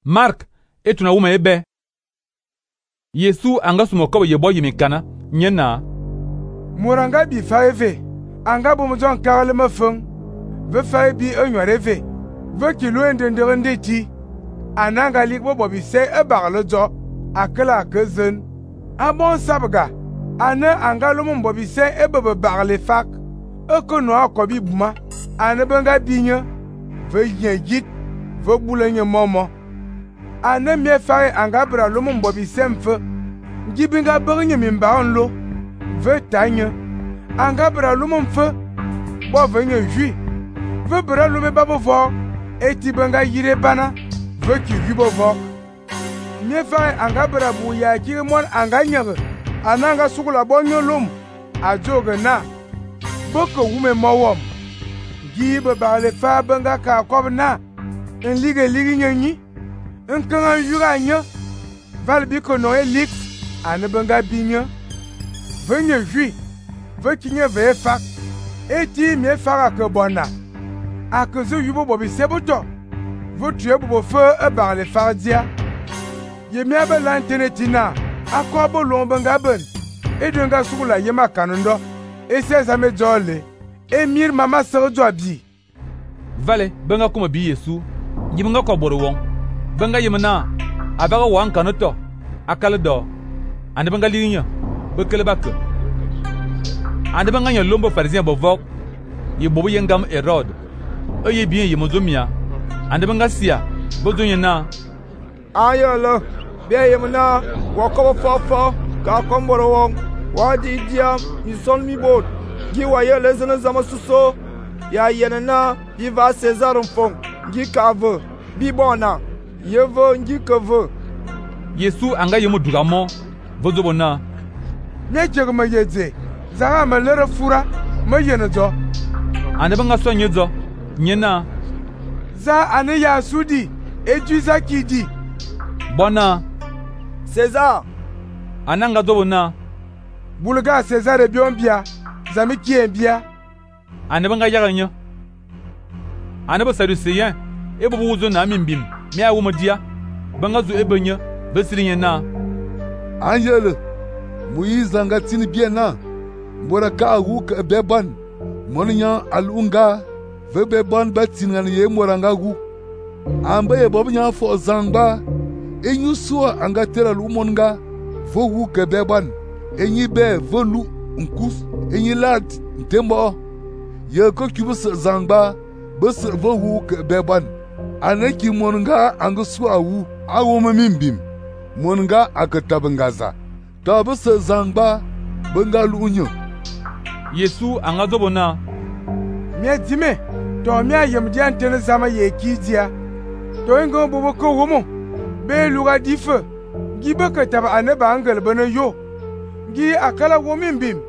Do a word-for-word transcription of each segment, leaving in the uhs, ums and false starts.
Mark etuna wuma ebe. Yesu anga sumo kobo yebo yimi kana nyena. Muranga bi fa eve. Anga bom zon karle me feng. Ve fa bi enware ve. Ve kilo endendere ndeti. Ananga lik bo bobi se e bagle zo. Akela ke zen. Abon sabga. Ane anga lomo bobi se e bebe bagle fak. E kono akobi buma. Ane benga binye. Ve yengit. Ve boulenye momo. Ane mie fare anga bra lomo bobi se mfe. Ngibinga bernye mimba onlo. Ve tanye. Anga bra lomo mfe. Bo venye jui. Ve bra lome babo vo. Eti benga yire bana. Ve ki yubo vo. Mie fare anga bra bu ya kiri mon anga nyere. Ananga sukula bonyo lum. Ajoge na. Boko wume mowom. Gibe bagle fa benga ka kob na. En lige lige nyenyi. En kanga yura nye. Val biko no e lik. Ane benga binye. Venye jui. Ve kinye ve fak. Eti mie fara ke bona. Ake zo yubo bobi seboto. Ve tuye bobo fe e bagle fardia. Ye mia be lantene tina. Akwa bo lon benga ben. E denga sukula yema kanundo. E se zame jole. E mir mama sere jo bi. Vale benga kuma bi Yesu. Yibenga ko boro won. Benga yemna. Abaga wan kanoto. Akale do. Ande benga linya. Bekele bakke. Ande benga nya lombo pharisien bo vok. Ye bobo yengam Herod. E ye bien ye mozomia. Ande benga sia. Bozonya na. Ayolo. Bien yemna. Wakobo fofo. Ka komboro won. Wadi diam. Ison mi bot. Gi waye lezene zama suso. Ya yenena. Bi va César mfong. Gi kave. Bi bona. Ye ve ngi keve. Yesu anga yemu dugamo. Vozobona. Ne jege me yeze. Zara me lere fura. Me yene zo. Ande benga so nyezo. Nyena. Za ane ya sudi. Eju za kidi. Bona. César. Ananga zobona. Bulga César e bion bia. Zami ki en bia. Ane benga yaganyo. Ane bo saduceyen. E bo wuzo na mimbim. Mi a wumo dia. Benga zo ebenye. Besirinya na. Angele. Moïse anga tini bien na. Mbora ka wu ke beban. Monya alunga. Ve beban batingan ye moranga wu. Amba ye bob nya fo zangba. Enyu so anga tera lu monga. Vo wu ke beban. Enyi be volu nkus. Enyi lat ntembo. Ye ko kibus zangba. Bus vo wu ke beban. Aneki monga anga so awu. Awu mimbim. Monga akatabangaza. Tabus zangba. Benga lunyo. Yesu anga zobona. Mie dime. To mia yem di antene zama ye kidia. To ingo bobo ko womo. Be luga dife. Gibe ke taba ane ba angel bene yo. Gi akala womimbim.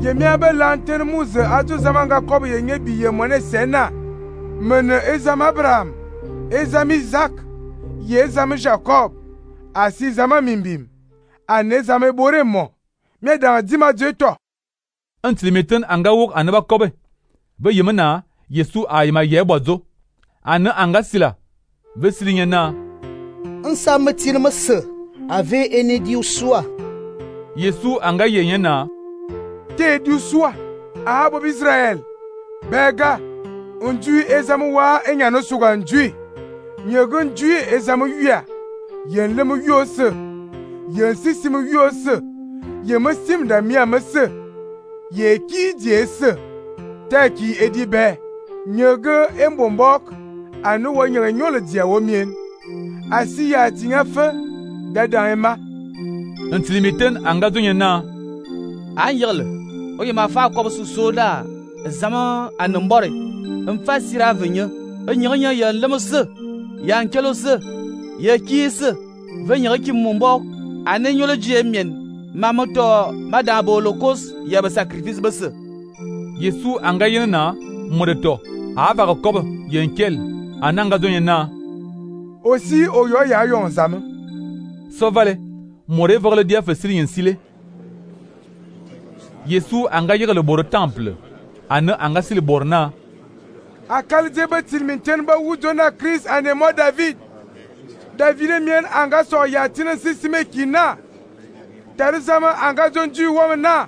Ye mia be lantene muze ajo zamanga kobe ye nye biye mone sena. Mene ezam Abraham. Ezam Isaac. Ye ezam Jacob. Asi zama mimbim. Ane zame bore mo. Mie dan dima jeto. Antilimeten anga wok aneba kobe. Be yemena Yesu ayima yebozo. Ane anga sila. Ve silinya na. Nsa metir mese. Ave ene di usua. Yesu anga yenye na. Te di usua. Ahabo Israel. Bega. Unjui ezamu wa enyano suga njui. Nyegun njui ezamu yuya. Yen lemu yose. Yen sisimu yose. Ye mesim da miya mese. Ye ki jese. Taki edi be. Nyege embombok. Anu wa nyere nyole dia womien. Asi ya tinga fe. Dada ema. Antilimeten anga zonye na. Anyele. Oye ma fa kob su soda. Zama anembore. Mfa sira venye. Enyere ya lemose. Ya nkelo se. Ye ki se. Venye ki mombo. Ane nyole die mien. Mamoto madabo lokos ya ba sacrifice bese. Yesu anga yene na modeto. Ava ko kob yenkel. Ananga zonye na. Aussi oyo ya yon zame. So vale. More vole dia fesiri yensile. Yesu anga yega le boro temple. Ane anga sile borna. Akal jebe tilminten ba wujona Chris ane mo David. David mien anga so ya tinin sisime kina. Tarizama anga jonju wam na.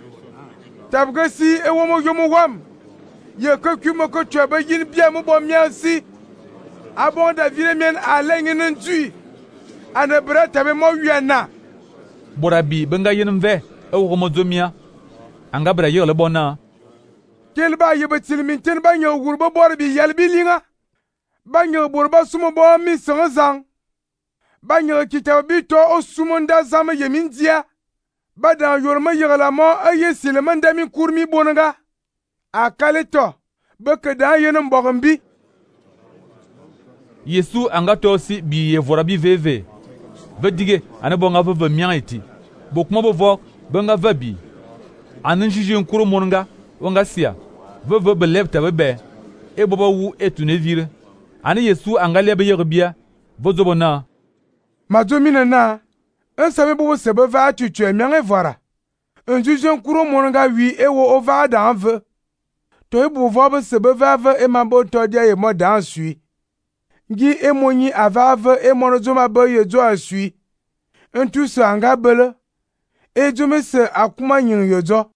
Tabga si e womo yomo wam. Ye ko kumo ko tweba yin bia mo bom si. Abon David mien alengin njui. Ane bra tabe mo wiana. Borabi benga yin ve e wo mo zomia. Anga bra yele bona. Kel ba yebe tilmin ten ba nyo gurbo bor bi yel bi linga. Ba nyo borba sumo bo mi zang. Ba nyo kitab bi to o sumo nda zama yemin dia. Ba da yorma yegala mo aye sileman da min kurmi bonanga. Akale to ba ke da yenem bogombi. Yesu anga to si bi ye vorabi veve. Ve dige ane bonga ve mian eti. Bokuma bo vo benga ve bi. Anen jiji nkuru monanga wonga sia. Ve ve be lepta be be. E boba wu etu ne vire. Ane Yesu anga lebe yerbia. Vo zobona. Mazomina na. Un sabe bobo sebe va tu tu mian e vora. Un jiji nkuru monanga wi e wo ova da anve. To e bo vo be sebe va ve e mabo to dia ye mo dan sui. Gi e monyi avave e monozoma be ye zo asui. Un tu se anga bele. E jome se akuma nyin yo zo.